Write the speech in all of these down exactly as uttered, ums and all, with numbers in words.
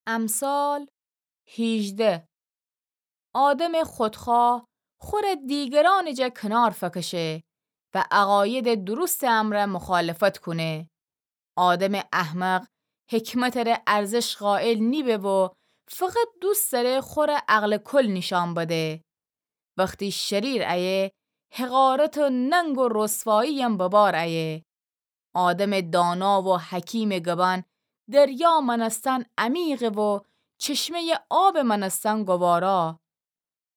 امثال هیجده. آدمٚ خودخواه خوره دیگرانٚ جا کنار فکشه و عقایدٚ درستٚ امرأ مخالفت کونه. آدمٚ احمق حکمتٚ ره ارزش قائل نیبه و فقط دوست دأره خوره عقلٚ کل نیشأن بده. وختی شریر ایه، حقارت و ننگ و رسوایی‌یم به بار ایه. آدمٚ دانا و حکیمٚ گبأن دریا مأنستن عمیقه و چشمه‌یٚ آبٚ مأنستن گوارا.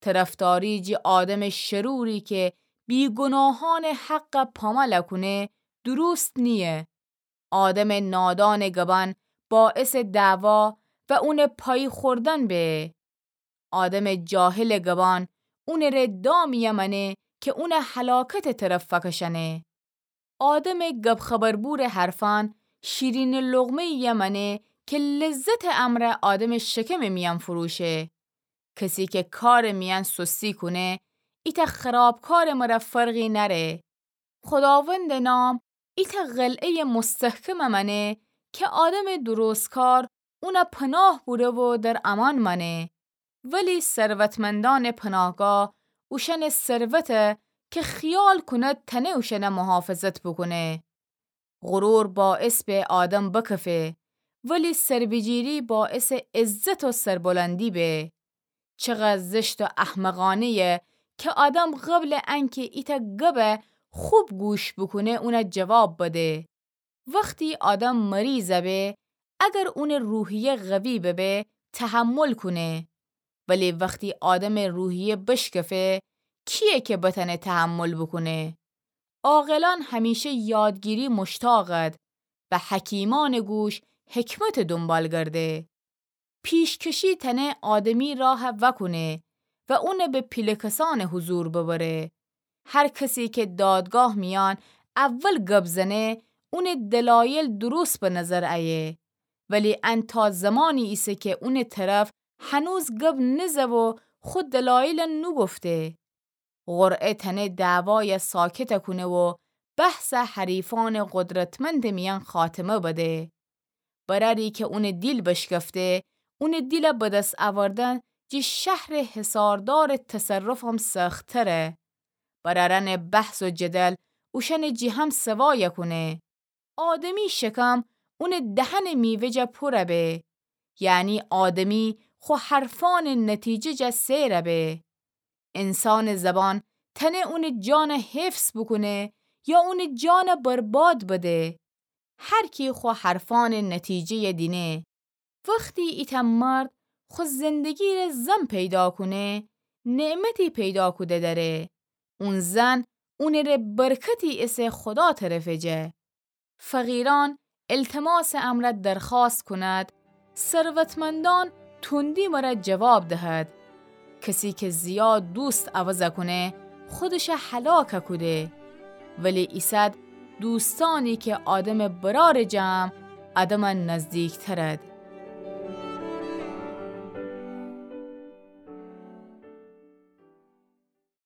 طرفداری جٚه آدمٚ شروری کی بیگناهأنٚ حق پامال کونه دروست نییه. آدمٚ نادانٚ گبأن باعثٚ دعوا و اونٚ پایی خوردن به. آدمٚ جاهلٚ گبأن اونٚ ره دامی‌یه مأنه کی اونٚ هلاکتٚ طرف فکشأنه. آدمٚ گب خبربورٚ حرفأن شیرینٚ لقمه‌یی‌یه مأنه کی لذتٚ امرأ آدمٚ شکمٚ میأن فروشه. کسی کی کارٚ میأن سستی کونه، ایتأ خرابکارٚ مره فرقی نأره. خوداوندٚ نام ایتأ قلعه‌یٚ مستحکمٚ مأنه کی آدمٚ درستکار اون پناه بوره و در امأن مأنه. ولی ثروتمندأنٚ پناهگاه اوشأنٚ ثروته کی خیال کونه تأنه اوشأنٚ محافظت بوکونه. غرور باعث به آدم بکفه، ولی سربیجیری باعثٚ عزت و سربلندی به. چقدر زشت و احمقانه‌یه کی آدم قبلٚ انکی ایتأ گبه خوب گوش بوکونه اون جواب بده. وختی آدم مریض به، اگر اونٚ روحیه قوی ببه، تحمل کونه. ولی وختی آدمٚ روحیه بشکفه، کییه کی بتأنه تحمل بوکونه؟ عاقلأن همیشه یادگیری مشتاقد و حکیمأنٚ گوش حکمتٚ دونبال گرده. پیشکشی تأنه آدمی راه وأکونه و اون به پیله کسأنٚ حضور ببره. هر کسی کی دادگاه میأن اول گب زنه، اونٚ دلایل درست به نظر ایه. ولی ان تا زمانی ایسه کی اونٚ طرف هنوز گب نزه و خو دلایل نوگفته. قرعه تأنه دعوای ساکت کونه و بحث حریفأنٚ قدرتمندٚ میأن خاتمه بده. برأری کی اونٚ دیل بشکفته، اونٚ دیل به دس اوردن جٚه شهرٚ حصاردارٚ تصرفم سخت‌تره. برأرأنٚ بحث و جدل اوشأنٚ جٚه هم سوا کونه. آدمی شکم اونٚ دهنٚ میوه جا پور به، یعنی آدمی خو حرفأنٚ نتیجه جا سیر به. انسانٚ زبان تأنه اونٚ جان حفظ بوکونه یا اونٚ جان برباد بده. هر کی خو حرفأنٚ نتیجه‌ی دینه. وختی ایتأ مرد خو زندگی ره زن پیدا کونه، نعمتی پیدا کوده دأره. اون زن اونٚ ره برکتی ایسه خودا طرفٚ جه. فقیرأن التماسٚ امرأ درخواست کوند، ثروتمندأن تندی مره جواب دهد. کسی کی زیاد دوست عوض کونه، خودش هلاک کوده. ولی ایسد دوستأنی کی آدمٚ برارٚ جم آدم نزدیکترد.